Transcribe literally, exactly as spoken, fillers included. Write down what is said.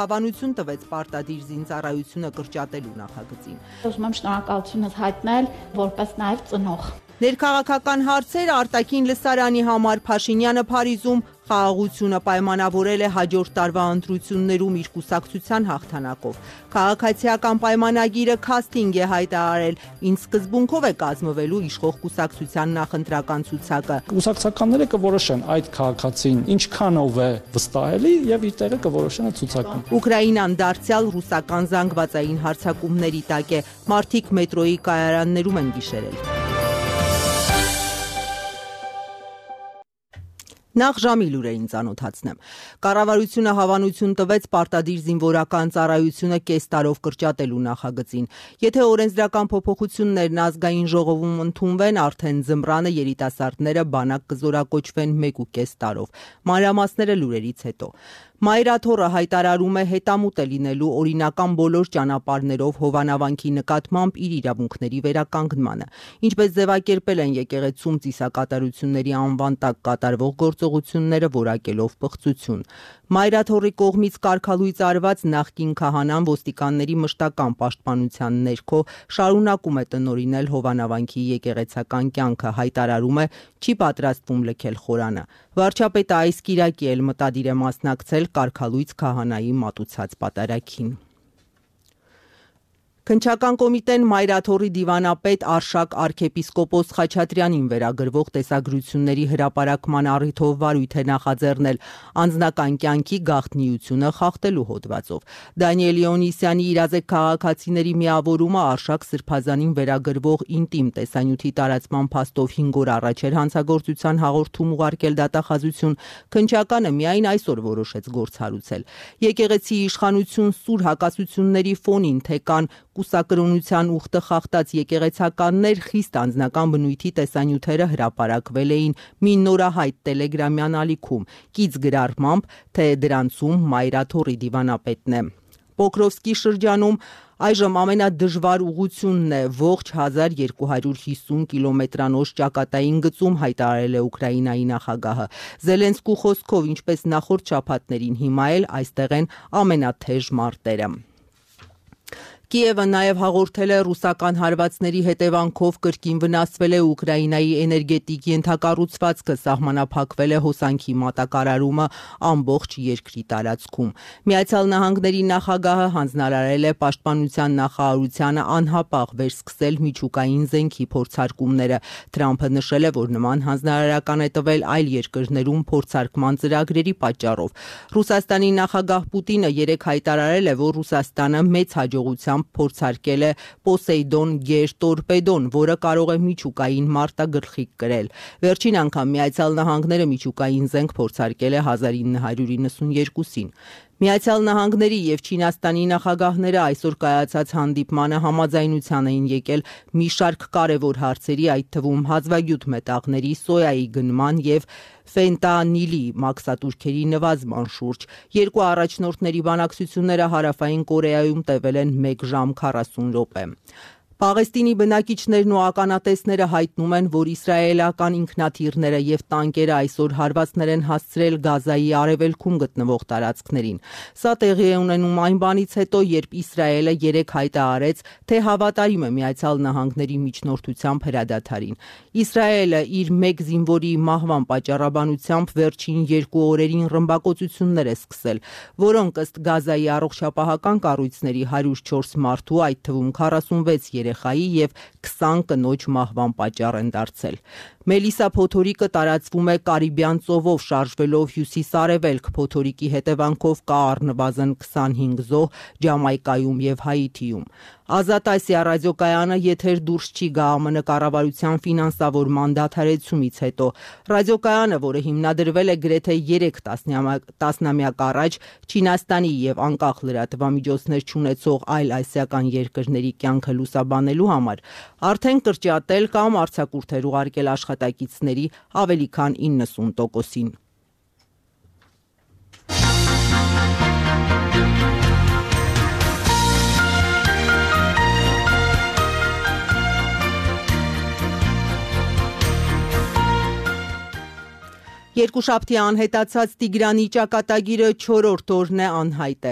Հավանություն տվեց պարտադիր զինծառայությունը կրճատելու նախագծին։ Ուզում եմ շնորհակալությունս հայտնել որպես նաև ծնող։ Ներքաղաքական հարցեր արտաքին լսարանի համար Փաշինյանը Փարիզում խաղաղությունը պայմանավորել է հաջորդ տարվա ընտրություններում իր կուսակցության հաղթանակով։ Քաղաքացիական պայմանագիրը քաստինգ է հայտարարել, ինչ սկզբունքով է կազմվելու իշխող կուսակցության նախընտրական ցուցակը։ Կուսակցականները կորոշեն այդ քաղաքացին ինչքանով է վստահելի եւ իր տեղը կորոշեն ցուցակում։ Ուկրաինան դարձյալ ռուսական զանգվածային հարձակումների տակ է, մարդիկ մետրոյի կայարաններում են գիշերել։ Նախ ժամի լուրերին ծանոթացնեմ։ Կառավարությունը հավանություն տվեց պարտադիր զինվորական ծառայությունը կես տարով կրճատելու նախագծին։ Եթե օրենսդրական փոփոխություններն ազգային ժողովում ընդունվեն, արդեն ձմռանը երիտասարդները բանակ կզորակոչվեն մեկ ու կես տարով։ Մանրամասները լուրերից հետո։ Մայրաթոռը հայտարարում է հետամուտ է լինելու օրինական բոլոր ճանապարհներով Հովանավանքի նկատմամբ իր իրավունքների վերականգնմանը։ Ինչպես ձևակերպել են եկեղեցում ծիսակատարությունների անվան տակ կատարվող գործողությունները որակելով պղծություն։ Մայրաթոռի կողմից կարգալույծ արված նախկին քահանան ոստիկանների մշտական պաշտպանության ներքո շարունակում է տնօրինել Հովանավանքի եկեղեցական կյանքը, հայտարարում է չի պատրաստվում լքել խորանը։ Վարչապետը այս կիրակի էլ մտադիր է մասնակցել կարգալույծ քահանայի մատուցած պատարագին։ Քննչական կոմիտեն Մայրաթոռի դիվանապետ Արշակ arczepiskopos Խաչատրյանին վերագրվող տեսագրությունների հրապարակման առիթով վարույթ է նախաձեռնել անձնական կյանքի գաղտնիությունը խախտելու հոդվածով։ Դանիել Իոնիսյանի իրազեկ քաղաքացիների միավորումը Արշակ Սրբազանին վերագրվող ինտիմ տեսանյութի տարածման փաստով հինգ օր առաջ էր հանցագործության հաղորդում ուղարկել դատախազություն, քննչականը միայն այսօր որոշեց գործ հարուցել։ Եկեղեցի իշխանություն սուր հակասությունների ֆոնին թե կան կուսակրոնության ուխտը խախտած եկեղեցականներ խիստ անձնական բնույթի տեսանյութերը հրապարակվել էին մի նորահայտ տելեգրամյան ալիքում, կից գրառմամբ, թե դրանցում Մայրաթոռի դիվանապետն է։ Պոկրովսկի շրջանում այժմ ամենադժվար ուղղությունն է ողջ հազար երկու հարյուր հիսուն կիլոմետրանոց ճակատային գծում, հայտարարել է Ուկրաինայի նախագահը։ Զելենսկու խոսքով, ինչպես նախորդ շաբաթներին, հիմա էլ այստեղ են ամենաթեժ մարտերը։ Կիևը նաև հաղորդել է ռուսական հարվածների հետևանքով կրկին վնասվել է Ուկրաինայի էներգետիկ ենթակառուցվածքը, սահմանափակվել է հոսանքի մատակարարումը ամբողջ երկրի տարածքում։ Միացյալ Նահանգների նախագահը հանձնարարել է պաշտպանության նախարարությանը անհապաղ վերսկսել միջուկային զենքի փորձարկումները։ Թրամփը նշել է, որ նման հանձնարարական է տվել այլ երկրներում փորձարկման ծրագրերի պատճառով։ Ռուսաստանի նախագահ Պուտինը երեկ հայտարարել է, որ Ռուսաստանը մեծ հաջողությամբ փորձարկել է Պոսեյդոն գերտորպեդոն, որը կարող է միջուկային մարտագլխիկ կրել։ Վերջին անգամ Միացյալ Նահանգները միջուկային զենք փորձարկել է հազար ինը հարյուր իննսունյերկուսին։ Միացյալ Նահանգների եւ Չինաստանի նախագահները այսօր կայացած հանդիպմանը համաձայնության էին եկել մի շարք կարևոր հարցերի, այդ թվում հազվագյուտ մետաղների, սոյայի գնման եւ ֆենտանիլի մաքսատուրքերի նվազման շուրջ։ Երկու առաջնորդների բանակցությունները Հարավային Կորեայում տևել են մեկ ժամ քառասուն րոպե։ Պաղեստինի բնակիչներն ու ականատեսները հայտնում են, որ իսրայելական ինքնաթիռները եւ տանկերը այսօր հարվածներ են հասցրել Գազայի արևելքում գտնվող տարածքներին։ Սա տեղի է ունենում այն բանից հետո, երբ Իսրայելը երեկ հայտարարեց, թե հավատարիմ է Միացյալ Նահանգների միջնորդությամբ հրադադարին։ Իսրայելը իր մեկ զինվորի մահվան պատճառաբանությամբ վերջին երկու օրերին ռմբակոծություններ է սկսել, որոնք ըստ Գազայի առողջապահական կառույցների հարյուր չորս մարդու, այդ թվում քառասունվեց երեխայի եւ քսան կնոջ մահվան պատճառ են դարձել։ Մելիսա փոթորիկը տարածվում է Կարիբյան ծովով շարժվելով հյուսիս-արևելք, փոթորիկի հետևանքով կա առնվազն քսանհինգ զոհ Ջամայկայում եւ Հայիթիում։ Ազատ Ասիա ռադիոկայանը եթեր դուրս չի գա ԱՄՆ կառավարության ֆինանսավորման դադարեցումից հետո։ Ռադիոկայանը, որը հիմնադրվել է գրեթե երեք տասնամյակ առաջ, Չինաստանի եւ անկախ լրատվամիջոցներ չունեցող այլ ասիական երկրների կյանքը լուսաբանելու համար, արդեն կրճատել կամ արձակուրդեր ուղարկել աշխատակիցների ավելի քան իննսուն տոկոսին։ Երկուշաբթի անհետացած Տիգրանի ճակատագիրը չորրորդ օրն է անհայտ է։